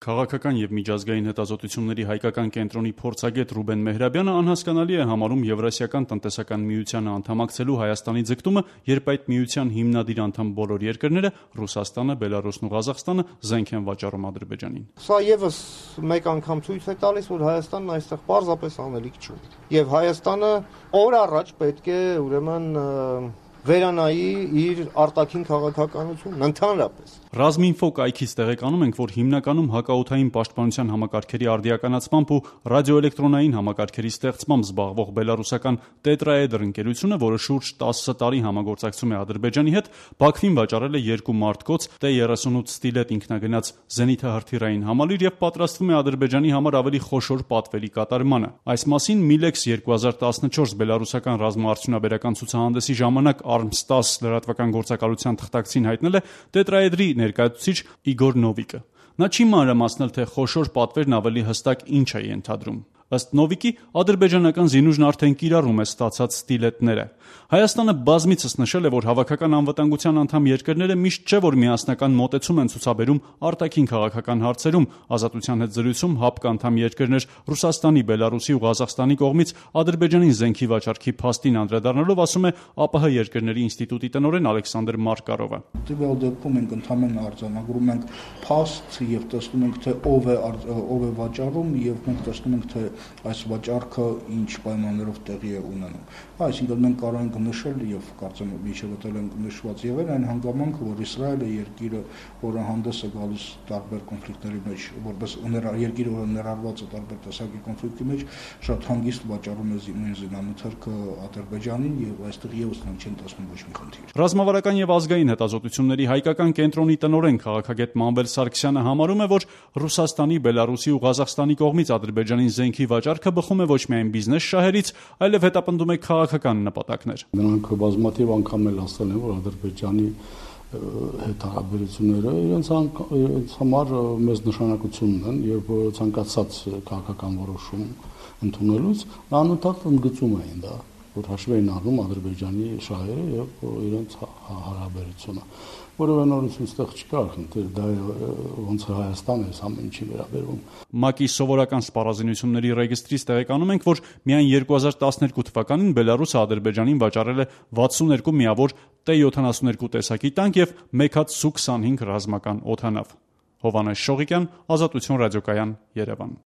Քաղաքական և միջազգային հետազոտությունների հայկական կենտրոնի փորձագետ Ռուբեն Մեհրաբյանը անհասկանալի է համարում Եվրասիական տնտեսական միությանը անդամակցելու Հայաստանի ձգտումը, երբ այդ միության հիմնադիր անդամ բոլոր երկրները՝ Ռուսաստանը, Բելարուսն ու Ղազախստանը, զենք են վաճառում Ադրբեջանին։ Սա եւս մեկ անգամ ցույց է տալիս, որ Հայաստանն այստեղ պարզապես անելիք չունի։ Եվ Հայաստանը օր առաջ պետք է ուրեմն վերանայի իր արտաքին քաղաքականությունն ընդհանրապես։ Ռազմինֆո կայքից տեղեկանում ենք, որ հիմնականում հակաօդային պաշտպանության համակարգերի արդիականացմամբ ու ռադիոէլեկտրոնային համակարգերի ստեղծմամբ զբաղվող բելարուսական Տետրաէդր ընկերությունը, որը շուրջ 10 տարի համագործակցում է Ադրբեջանի հետ, Բաքվին վաճառել է 2 մարտկոց T-38 Ստիլետ ինքնագնաց զենիթահրթիռային համալիր եւ պատրաստվում է Ադրբեջանի համար ավելի խոշոր պատվերի կատարմանը։ Այս մասին Միլեքս 2014 բելարուսական ռազմաարդյունաբերական ցուցահանդեսի ժամանակ Arms-10 լրատվական գործակալության թղթակցին հայտնել է Տետրաէդրի ներկայացուցիչ Իգոր Նովիկը։ Նա չի մանրամասնել, թե խոշոր պատվերն ավելի հստակ ինչ է ենթադրում։ Ըստ Նովիկի, ադրբեջանական զինուժն արդեն կիրառում է ստացած ստիլետները։ Հայաստանը բազմիցս նշել է, որ հավաքական անվտանգության անդամ երկրները միշտ չէ, որ միասնական մոտեցում են ցուցաբերում արտաքին քաղաքական հարցերում։ Ազատության հետ զրույցում ՀԱՊԿ անդամ երկրներ Ռուսաստանի, Բելարուսի ու Ղազախստանի կողմից Ադրբեջանին զենքի վաճառքի փաստին անդրադառնալով ասում է ԱՊՀ երկրների ինստիտուտի տնօրեն Ալեքսանդր Մարկարովը։ Տվյալ դեպքում մենք ընդհանրապես արձանագրում ենք փաստ եւ տեսնում ենք, թե ով է վաճառում եւ մենք տեսնում ենք, թե այս վաճառքը ինչ պայմաններով տեղի է ունենում։ Այսինքն մենք կարող ենք նշել եւ կարծեմ միջևտել ենք նշված եղել այն հանգամանքը, որ Իսրայելը երկիրը, որը հանդես է գալիս տարբեր կոնֆլիկտների մեջ, որպես երկիրը, որը ներառված է տարբեր տեսակի կոնֆլիկտի մեջ, շատ հանգիստ վաճառում է զինամթերքը Ադրբեջանին եւ այստեղ եւս նրանք չեն տեսնում ոչ մի խնդիր։ Ռազմավարական եւ ազգային հետազոտությունների հայկական կենտրոնի տնօրեն քաղաքագետ Մանվել Սարգսյանը համարում է, որ Ռուսաստանի, Բելարուսի ու Ղազախստանի կողմից Ադրբեջանին զենքի վաճառքը բխում է ոչ միայն բիզնես շահերից, այլև հետապնդում է քաղաքական նպատակներ։ Նրանք բազմաթիվ անգամ էլ ասել են, որ Ադրբեջանի հետ հարաբերությունները իրենց համար մեծ նշանակություն ունեն եւ ցանկացած քաղաքական որոշում ընդունելուց անընդհատ ընդգծում էին դա, որ հաշվի են առնում Ադրբեջանի շահերը եւ իրենց հարաբերությունը։ Որևէ նորություն ստեղ չկա, խնդիր դա ոնց է Հայաստանը այս ամեն ինչի վերաբերում։ ՄԱԿ-ի սովորական սպառազինությունների ռեգիստրից տեղեկանում ենք, որ միայն 2012 թվականին Բելարուսը Ադրբեջանին վաճառել է 62 միավոր T-72 տեսակի տանկ եւ 1 հատ Su-25 ռազմական օդանավ։ Հովհաննես Շողիկյան, Ազատություն ռադիոկայան, Երևան։